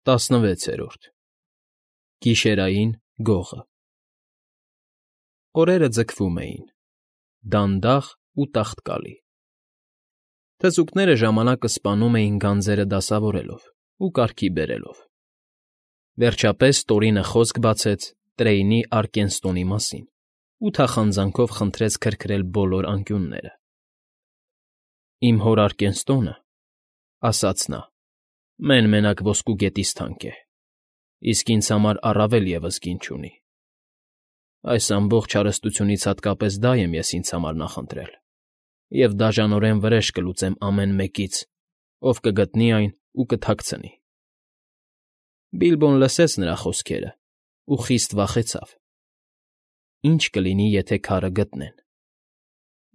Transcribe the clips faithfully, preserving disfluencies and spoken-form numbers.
ՏԱՍՆՎԵՑԵՐՈՐԴ ԳԻՇԵՐԱՅԻՆ ԳՈՂԸ Օրերը ձգվում էին, դանդաղ ու տաղտկալի. թզուկները ժամանակը սպանում էին գանձերը դասավորելով ու կարգի բերելով. վերջապես Տորինը խոսք բացեց Տրեյնի Արկենստոնի մասին ու թախանձանքով խնդրեց քրքրել բոլոր անկյունները։ «Իմ հոր Արկենստոնը,֊ ասաց նա,֊ մեն֊մենակ ոսկու գետից թանկ է, իսկ ինձ համար առավել ևս գին չունի։ Այս ամբողջ հարստությունից հատկապես դա եմ ես ինձ համար նախընտրել և դաժանորեն վրեժ կլուծեմ ամեն մեկից, ով կգտնի այն ու կթաքցնի»։ Բիլբոն լսեց նրա խոսքերն ու խիստ վախեցավ. ի՞նչ կլինի, եթե քարը գտնեն։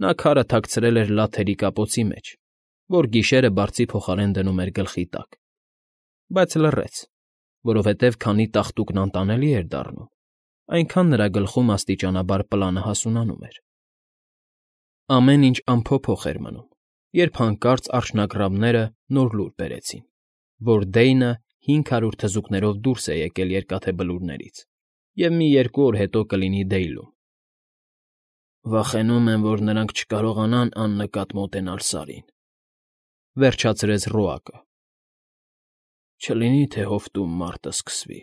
Նա քարը թաքցրել էր լաթերի կապոցի մեջ, որ գիշերը բարձի փոխարեն դնում էր գլխի տակ, բայց լռեց, որովհետև քանի տաղտուկն անտանելի էր դառնում, այնքան նրա գլխում աստիճանաբար պլանը հասունանում էր։ Ամեն ինչ անփոփոխ էր մնում, երբ հանկարծ արջնագռավները նոր լուր բերեցին, որ Դեյնը հինգ հարյուր թզուկներով դուրս է եկել Երկաթե Բլուրներից և մի երկու օր հետո կլինի Դեյլում։ «Վախենում եմ, որ նրանք չկարողանան աննկատ մոտենալ Սարին,֊ վերջացրեց Ռոակը։ «Չլինի, թե հովտում մարտն սկսվի,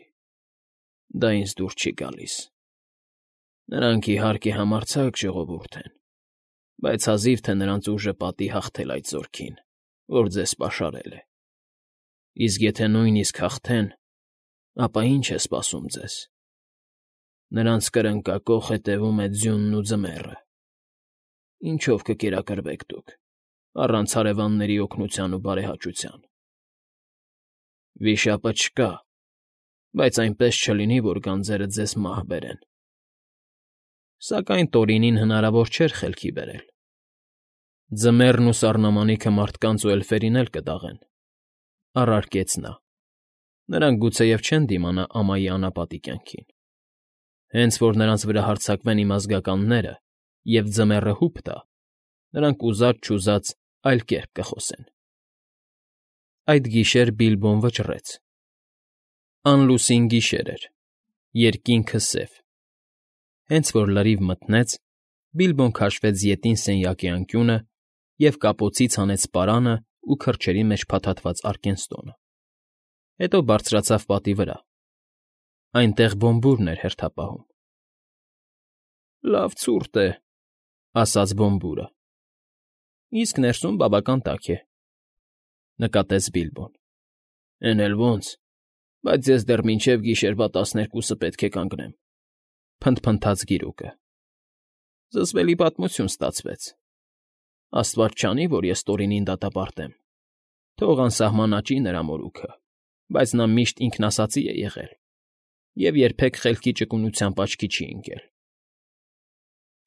դա ինձ դուր չի գալիս։ Նրանք, իհարկե, համարձակ ժողովուրդ են, բայց հազիվ թե նրանց ուժը պատի հաղթել այդ զորքին, որ ձեզ պաշարել է։ Իսկ եթե նույնիսկ հաղթեն, ապա ի՞նչ է սպասում ձեզ։ Նրանց կրնկակոխ հետևում է ձյունն ու ձմեռը։ Ինչո՞վ կկերակրվեք դուք, առանց հարևանների օգնության ու բարեհաճության։ Վիշապը չկա, բայց այնպես չլինի, որ գանձերը ձեզ մահ բերեն»։ Սակայն Տորինին հնարավոր չէր խելքի բերել. «Ձմեռն ու սառնամանիքը մարդկանց ու էլֆերին էլ կդաղեն,֊ առարկեց նա։֊ Նրանք գուցեև չեն դիմանա ամայի անապատի կյանքին։ Հենց որ նրանց վրա հարձակվեն իմ ազգականները, և ձմեռը հուպ տա, նրանք ուզած֊չուզած այլ կերպ կխոսեն»։ Այդ գիշեր Բիլբոն վճռեց։ Անլուսին գիշեր էր, երկինքը սև։ Հենց որ լրիվ մթնեց, Բիլբոն քաշվեց ետին սենյակի անկյունը և կապոցից հանեց պարանն ու քրջերի մեջ փաթաթված Արկենստոնը, հետո բարձրացավ պատի վրա. այնտեղ Բոմբուրն էր հերթապահում։ «Լավ ցուրտ է,֊ ասաց Բոմբուրը։ «Իսկ ներսում բավական տաք է,֊ նկատեց Բիլբոն։ Էն էլ ոնց, բայց ես դեռ մինչև գիշերվա տասներկուսը պետք է կանգնեմ,֊ փնթփնթաց գիրուկը։ «Զզվելի պատմություն ստացվեց։ Աստված չանի, որ ես Տորինին դատապարտեմ, թող անսահման աճի նրա մորուքը, բայց նա միշտ ինքնասածի է եղել և երբեք խելքի ճկունությամբ աչքի չի ընկել»։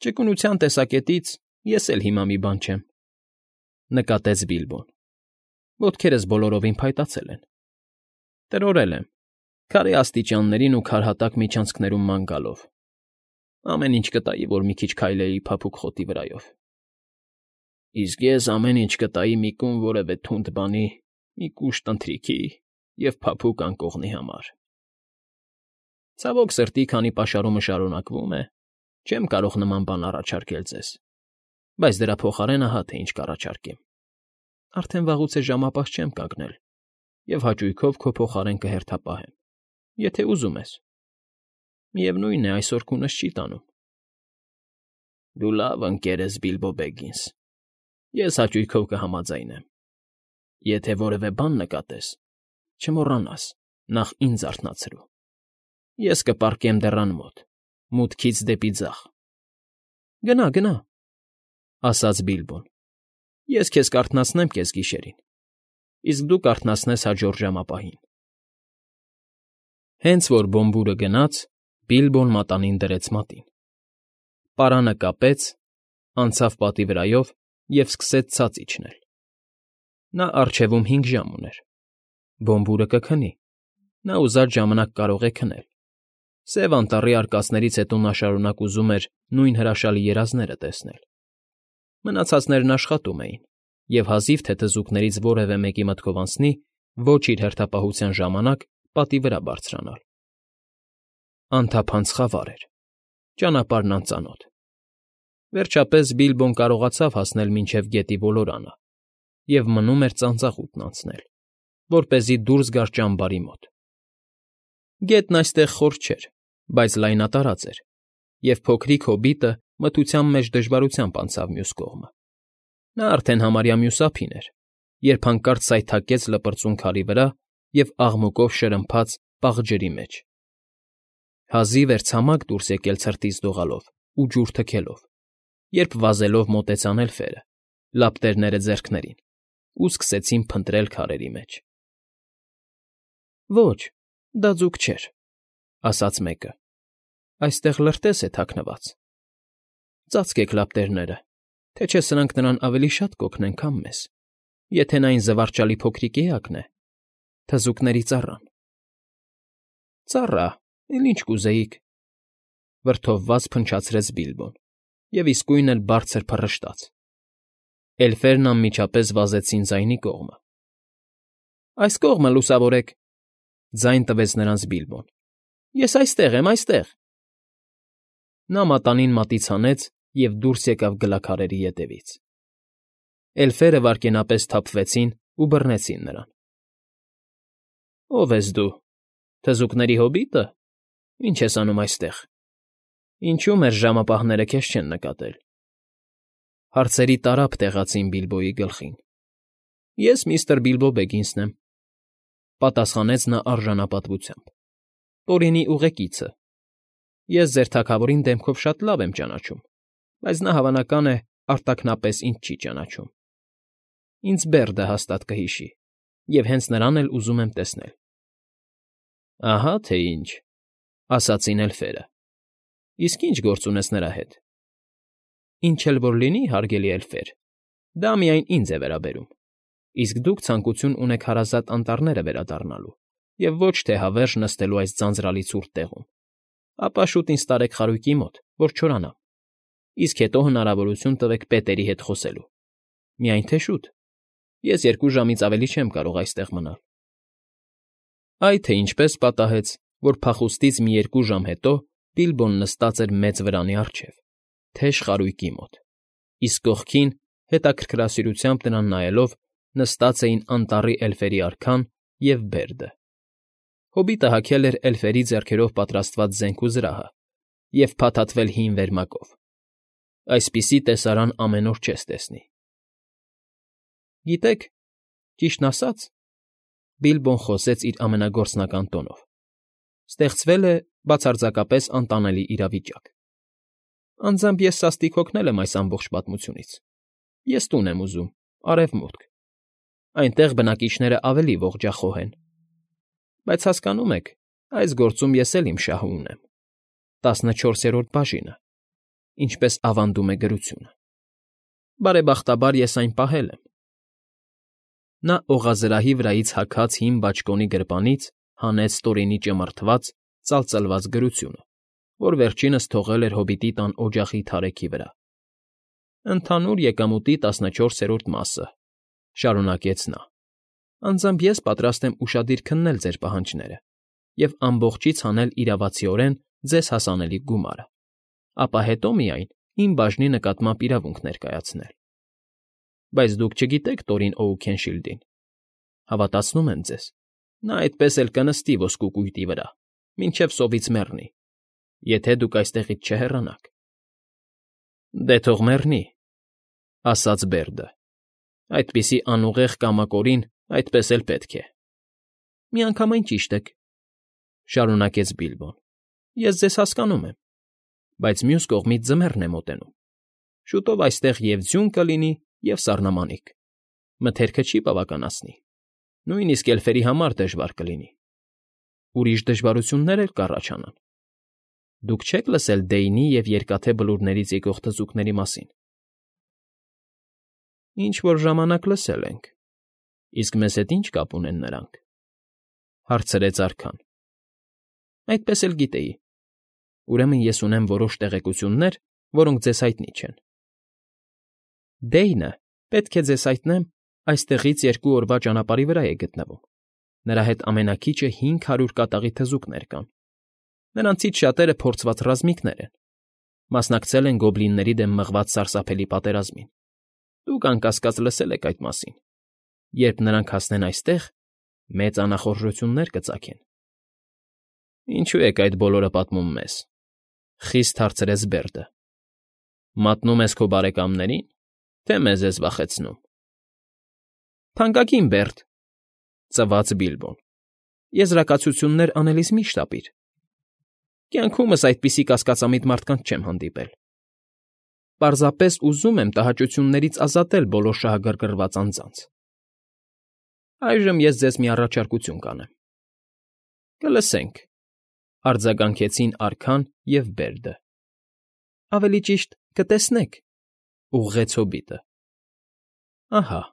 «Ճկունության տեսակետից ես էլ հիմա մի բան չեմ,֊ նկատեց Բիլբոն։ Ոտքերս բոլորովին փայտացել են։ Տրորել եմ, քարե աստիճաններին ու քարհատակ միջանցքներում ման գալով։ Ամեն ինչ կտայի, որ մի քիչ քայլեի փափուկ խոտի վրայով։ Իսկ ես ամեն ինչ կտայի մի կում որևէ թունդ բանի, մի կուշտ ընթրիքի և փափուկ անկողնի համար։ Ցավոք սրտի, քանի պաշարումը շարունակվում է, չեմ կարող նման բան առաջարկել ձեզ, բայց դրա փոխարեն ահա թե ինչ կառաջարկեմ. արդեն վաղուց է ժամապահ չեմ կանգնել և հաճույքով քո փոխարեն կհերթապահեմ, եթե ուզում ես։ Միևնույն է, այսօր քունս չի տանում»։ «Դու լավ ընկեր ես, Բիլբո Բեգինս, ես հաճույքով կհամաձայնեմ։ Եթե որևէ բան նկատես, չմոռանաս նախ ինձ արթնացրու։ Ես կպառկեմ դռան մոտ, մուտքից դեպի ձախ»։ «Գնա, գնա,֊ ասաց Բիլբոն։ «Ես քեզ կարթնացնեմ կեսգիշերին, իսկ դու կարթնացնես հաջորդ ժամապահին»։ Հենց որ Բոմբուրը գնաց, Բիլբոն մատանին դրեց մատին, պարանը կապեց, անցավ պատի վրայով և սկսեց ցած իջնել։ Նա առջևում հինգ ժամ ուներ։ Բոմբուրը կքնի, նա ուզած ժամանակ կարող է քնել։ Սև Անտառի արկածներից հետո նա շարունակ ուզում էր նույն հրաշալի երազները տեսնել։ Մնացածներն աշխատում էին, և հազիվ թե թզուկներից որևէ մեկի մտքով անցնի ոչ իր հերթապահության ժամանակ պատի վրա բարձրանալ։ Անթափանց խավար էր, ճանապարհն անծանոթ։ Վերջապես Բիլբոն կարողացավ հասնել մինչև գետի ոլորանը և մնում էր ծանծաղուտն անցնել, որպեսզի դուրս գար ճամբարի մոտ։ Գետն այստեղ խոր չէր, բայց լայնատարած էր, և փոքրիկ հոբիտը մթության մեջ դժվարությամբ անցավ մյուս կողմը։ Նա արդեն համարյա մյուս ափին էր, երբ հանկարծ սայթաքեց լպրծուն քարի վրա և աղմուկով շրմփաց պաղ ջրի մեջ։ Հազիվ էր ցամաք դուրս եկել ցրտից դողալով ու ջուր թքելով, երբ վազելով մոտեցան էլֆերը, լապտերները ձեռքներին, ու սկսեցին փնտրել քարերի մեջ։ ֊ Ոչ, դա ձուկ չէր,֊ ասաց մեկը,֊ այստեղ լրտես է թաքնված։ Ծածկեք լապտերները, թե չէ սրանք նրան ավելի շատ կօգնեն, քան մեզ, եթե նա այն զվարճալի փոքրիկ էակն է, թզուկների ծառան։ ֊ Ծառա, էլ ինչ կուզեիք,֊ վրդովված փնչացրեց Բիլբոն և իսկույն էլ բարձր փռշտաց։ Էլֆերն անմիջապես վազեցին ձայնի կողմը։ ֊ Այս կողմը լուսավորեք,֊ ձայն տվեց նրանց Բիլբոն։֊ Ես այստեղ եմ, այստեղ… Նա մատանին մատից հանեց և դուրս եկավ գլաքարերի ետևից։ Էլֆերը վայրկենապես սթափվեցին ու բռնեցին նրան։ ֊ Ո՞վ ես դու, թզուկների հոբի՞տը, ինչ ես անում այստեղ, ինչո՞ւ մեր ժամապահները քեզ չեն նկատել։ Հարցերի տարափ տեղացին Բիլբոյի գլխին։ ֊ Ես միստր Բիլբո Բեգինսն եմ,֊ պատասխանեց նա արժանապատվությամբ,֊ Տորինի ուղեկիցը։ Ես ձեր թագավորին դեմքով շատ լավ եմ ճանաչում, բայց նա, հավանական է, արտաքնապես ինձ չի ճանաչում։ Ինձ Բերդը հաստատ կհիշի, և հենց նրան էլ ուզում եմ տեսնել։ ֊ Ահա թե ինչ,֊ ասացին էլֆերը,֊ իսկ ի՞նչ գործ ունես նրա հետ։ ֊ Ինչ էլ որ լինի, հարգելի էլֆեր, դա միայն ինձ է վերաբերում, իսկ դուք ցանկություն ունեք հարազատ անտառները վերադառնալու և ոչ թե հավերժ նստելու այս ձանձրալի ցուրտ տեղում, ապա շուտ ինձ տարեք խարույկի մոտ, որ չորանամ, իսկ հետո հնարավորություն տվեք պետերի հետ խոսելու, միայն թե շուտ, ես երկու ժամից ավելի չեմ կարող այստեղ մնալ։ Այ թե ինչպես պատահեց, որ փախուստից մի երկու ժամ հետո Բիլբոն նստած էր մեծ վրանի առջև, թեժ խարույկի մոտ, իսկ կողքին, հետաքրքրասիրությամբ նրան նայելով, նստած էին անտառի էլֆերի արքան և Բերդը։ Հոբիտը հագել էր էլֆերի ձեռքերով պատրաստված զենք ու զրահը և փաթաթվել հին վերմակով։ Այսպիսի տեսարան ամեն օր չես տեսնի։ Գիտեք, ճիշտն ասած,֊ Բիլբոն խոսեց իր ամենագործնական տոնով,֊ ստեղծվել է բացարձակապես անտանելի իրավիճակ։ Անձամբ ես սաստիկ հոգնել եմ այս ամբողջ պատմությունից։ Ես տուն եմ ուզում, արևմուտք, այնտեղ բնակիչներն ավելի ողջախոհ են։ Բայց հասկանո՞ւմ եք, այս գործում ես էլ իմ շահը ունեմ, տասնչորսերորդ բաժինը, ինչպես ավանդում է գրությունը։ Բարեբախտաբար ես այն պահել եմ։ Նա օղազրահի վրայից հագած հին բաճկոնի գրպանից հանեց Տորինի ճմրթված, ծալծլված գրությունը, որ վերջինս թողել էր հոբիտի տան օջախի թարեքի վրա։ Ընդհանուր եկամուտի տասնչորսերորդ մասը,֊ շարունակեց նա,֊ անձամբ ես պատրաստ եմ ուշադիր քննել ձեր պահանջները և ամբողջից հանել իրավացիորեն ձեզ հասանելիք գումարը, ապա հետո միայն իմ բաժնի նկատմամբ իրավունք ներկայացնել։ Բայց դուք չգիտեք Տորին Օուքենշիլդին։ Հավատացնում եմ ձեզ, նա այդպես էլ կնստի ոսկու կույտի վրա, մինչև սովից մեռնի, եթե դուք այստեղից չհեռանաք։ ֊ Դե թող մեռնի,֊ ասաց Բերդը,֊ այդպիսի անուղեղ կամակորին այդպես էլ պետք է։ ֊ Միանգամայն ճիշտ եք,֊ շարունակեց Բիլբոն,֊ ես ձեզ հասկանում եմ, բայց մյուս կողմից ձմեռն է մոտենում։ Շուտով այստեղ և ձյուն կլինի, և սառնամանիք, մթերքը չի բավականանցի, նույնիսկ էլֆերի համար դժվար կլինի։ Ուրիշ դժվարություններ էլ կառաջանան։ Դուք չե՞ք լսել Դեյնի և Երկաթե Բլուրներից եկող թզուկների մասին։ ֊ Ինչ֊որ ժամանակ լսել ենք, իսկ մեզ հետ ի՞նչ կապ ունեն նրանք,֊ հարցրեց արքան։ ֊ Այդպես էլ գիտեի։ Ուրեմն ես ունեմ որոշ տեղեկություններ, որոնք ձեզ հայտնի չեն։ Դեյնը, պետք է ձեզ հայտնեմ, այստեղից երկու օրվա ճանապարհի վրա է գտնվում, Նրա հետ ամենաքիչը հինգ հարյուր կատաղի թզուկներ կան։ Նրանցից շատերը փորձված ռազմիկներ են, մասնակցել են գոբլինների դեմ մղված սարսափելի պատերազմին։ Դուք, անկասկած, լսել եք այդ մասին։ Երբ նրանք հասնեն այստեղ, մեծ անախորժություններ կծագեն։ Ինչու եք այդ բոլորը պատմում մեզ,֊ խիստ հարցրեց Բերդը։ Մատնում ես քո բարեկամներին, թե մեզ ես վախեցնում։ Թանկագին Բերդ,֊ ծվաց Բիլբոն,֊ եզրակացություններ անելիս մի՛ շտապիր։ Կյանքումս այդպիսի կասկածամիտ մարդկանց չեմ հանդիպել։ Պարզապես ուզում եմ տհաճություններից ազատել բոլոր շահագրգռված անձանց։ Այժմ ես ձեզ մի առաջարկություն կանեմ։ Կլսենք,֊ արձագանքեցին արքան և Բերդը։ Ավելի ճիշտ, կտեսնեք,֊ ուղղեց հոբիտը։ Ահա…֊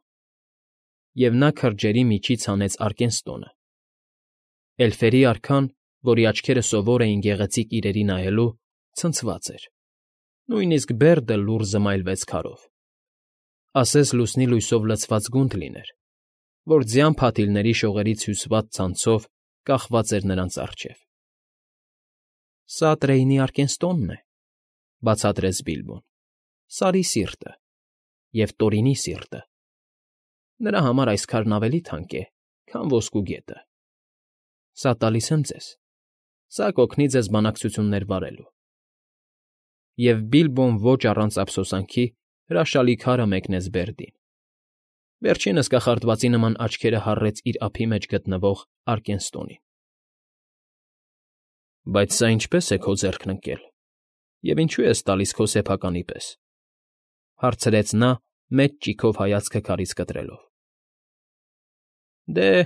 Եվ նա քրջերի միջից հանեց Արկենստոնը։ Էլֆերի արքան, որի աչքերը սովոր էին գեղեցիկ իրերի նայելու, ցնցված էր։ Նույնիսկ Բերդը լուռ զմայլվեց քարով։ Ասես լուսնի լույսով լցված գունդ լիներ, որ ձյան փաթիլների շողերից հյուսված ցանցով կախված էր նրանց առջև։ Սա Տրեյնի Արկենստոնն է,֊ բացատրեց Բիլբոն,֊ Սարի սիրտը և Տորինի սիրտը։ Նրա համար այս քարն ավելի թանկ է, քան ոսկու գետը։ Սա տալիս եմ ձեզ։ Սա կօգնի ձեզ բանակցություններ վարելու։ Եվ Բիլբոն ոչ առանց ափսոսանքի հրաշալի քարը մեկնեց Բերդին։ Վերջինս կախարդվածի նման աչքերը հառեց իր ափի մեջ գտնվող Արկենստոնին։ Բայց սա ինչպե՞ս է քո ձեռքն ընկել, և ինչու ես տալիս քո սեփականի պես,֊ հարցրեց նա, մեծ ճիգով հայացքը քարից կտրելով։ Դե,֊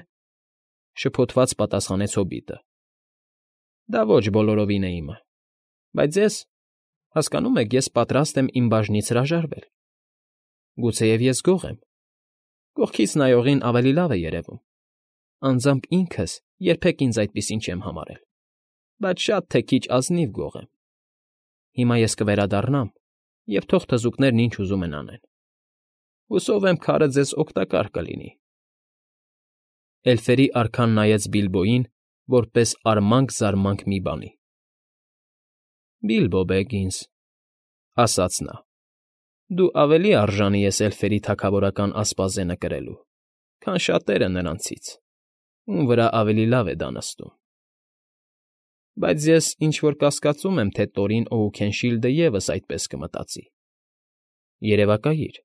շփոթված պատասխանեց հոբիտը,֊ դա ոչ բոլորովին է իմը, բայց ես, հասկանո՞ւմ եք, ես պատրաստ եմ իմ բաժնից հրաժարվել։ Գուցեև ես գող եմ, կողքից նայողին ավելի լավ է երևում, անձամբ ինքս երբեք ինձ այդպիսին չեմ համարել, բայց շատ թե քիչ ազնիվ գող եմ։ Հիմա ես կվերադառնամ, և թող թզուկներն ինչ ուզում են անեն։ Հուսով եմ, քարը ձեզ օգտակար կլինի։ Էլֆերի արքան նայեց Բիլբոյին, որպես արմանք֊զարմանք մի բանի։ Բիլբո Բեգինս,֊ ասաց նա,֊ դու ավելի արժանի ես էլֆերի թագավորական ասպազենը կրելու, քան շատերը նրանցից, ում վրա ավելի լավ է դա նստում։ Բայց ես ինչ֊որ կասկածում եմ, թե Տորին Օուքենշիլդը ևս այդպես կմտածի։ Երևակայիր,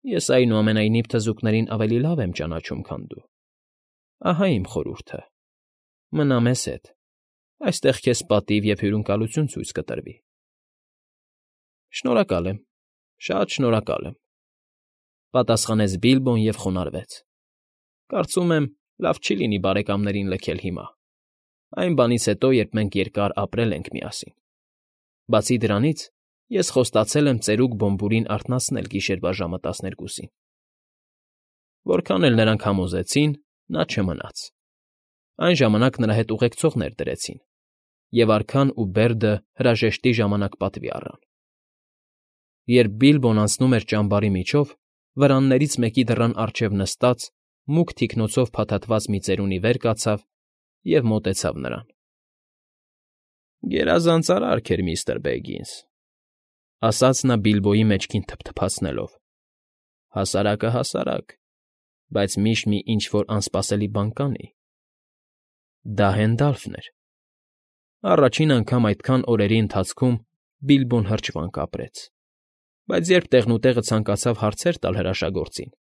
ես այնուամենայնիվ թզուկներին ավելի լավ եմ ճանաչում, քան դու։ Ահա իմ խորհուրդը. մնա մեզ հետ, այստեղ քեզ պատիվ և հյուրընկալություն ցույց կտրվի։ Շնորհակալ եմ, շատ շնորհակալ եմ,֊ պատասխանեց Բիլբոն և խոնարհվեց։ Կարծում եմ, լավ չի լինի բարեկամներին լքել հիմա, այն բանից հետո, երբ մենք երկար ապրել ենք միասին։ Բացի դրանից, ես խոստացել եմ ծերուկ Բոմբուրին արթնացնել գիշերվա ժամը տասներկուսին։ Որքան էլ նրանք համոզեցին, նա չմնաց։ Այն ժամանակ նրա հետ ուղեկցողներ դրեցին, և արքան ու Բերդը հրաժեշտի ժամանակ պատվի առան։ Երբ Բիլբոն անցնում էր ճամբարի միջով, վրաններից մեկի դռան առջև նստած, մուգ թիկնոցով փաթաթված մի ծերունի վեր կացավ և մոտեցավ նրան։ Գերազանց արարք էր, միստր Բեգինս,֊ ասաց նա Բիլբոյի մեջքին թփթփացնելով,֊ հասարակը հասարակ, բայց միշտ մի ինչ֊որ անսպասելի բան կանի։ Դա Հենդալֆն էր։ Առաջին անգամ այդքան օրերի ընթացքում Բիլբոն հրճվանք ապրեց, բայց երբ տեղնուտեղը ցանկացավ հարցեր տալ հրաշագործին,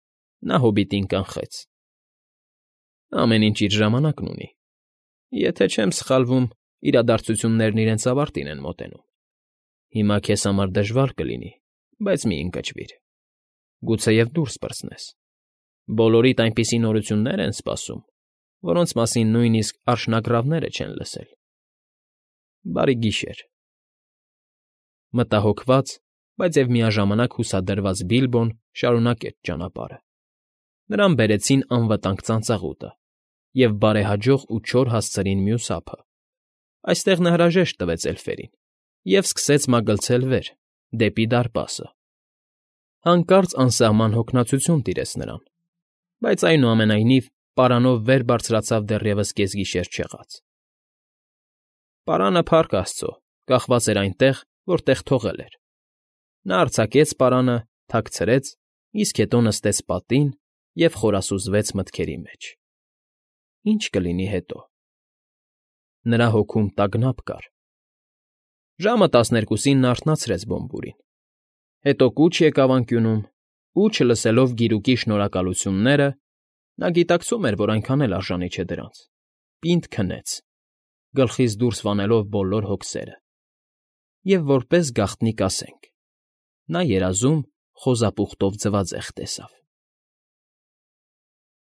նա հոբիտին կանխեց։ Ամեն ինչ իր ժամանակն ունի։ Եթե չեմ սխալվում, իրադարձություններն իրենց ավարտին են մոտենում։ Հիմա քեզ համար դժվար կլինի, բայց մի ընկճվիր։ Գուցեև դուրս պրծնես։ Բոլորիդ այնպիսի նորություններ են սպասում, որոնց մասին նույնիսկ արջնագռավները չեն լսել։ Բարի գիշեր։ Մտահոգված, բայց և միաժամանակ հուսադրված Բիլբոն շարունակեց ճանապարհը։ Նրան բերեցին անվտանգ ծանծաղուտը և բարեհաջող ու չոր հասցրին մյուս ափը։ Այստեղ նա հրաժեշտ տվեց էլֆերին և սկսեց մագլցել վեր, դեպի դարպասը։ Հանկարծ անսահման հոգնածություն տիրեց նրան, բայց այնուամենայնիվ պարանով վեր բարձրացավ դեռևս կեսգիշեր չեղած։ Պարանը, փառք աստծո, կախված էր այնտեղ, որտեղ թողել էր։ Նա արձակեց պարանը, թաքցրեց, իսկ հետո նստեց պատին և խորասուզվեց մտքերի մեջ. ի՞նչ կլինի հետո։ Նրա հոգում տագնապ կար։ Ժամը տասներկուսին նա արթնացրեց Բոմբուրին, հետո կուչ եկավ անկյունում ու, չլսելով գիրուկի շնորհակալությունները (նա գիտակցում էր, որ այնքան էլ արժանի չէ դրանց), պինդ քնեց, գլխից դուրս վանելով բոլոր հոգսերը, և, որպես գաղտնիք ասենք, նա երազում խոզապուխտով ձվածեղ տեսավ։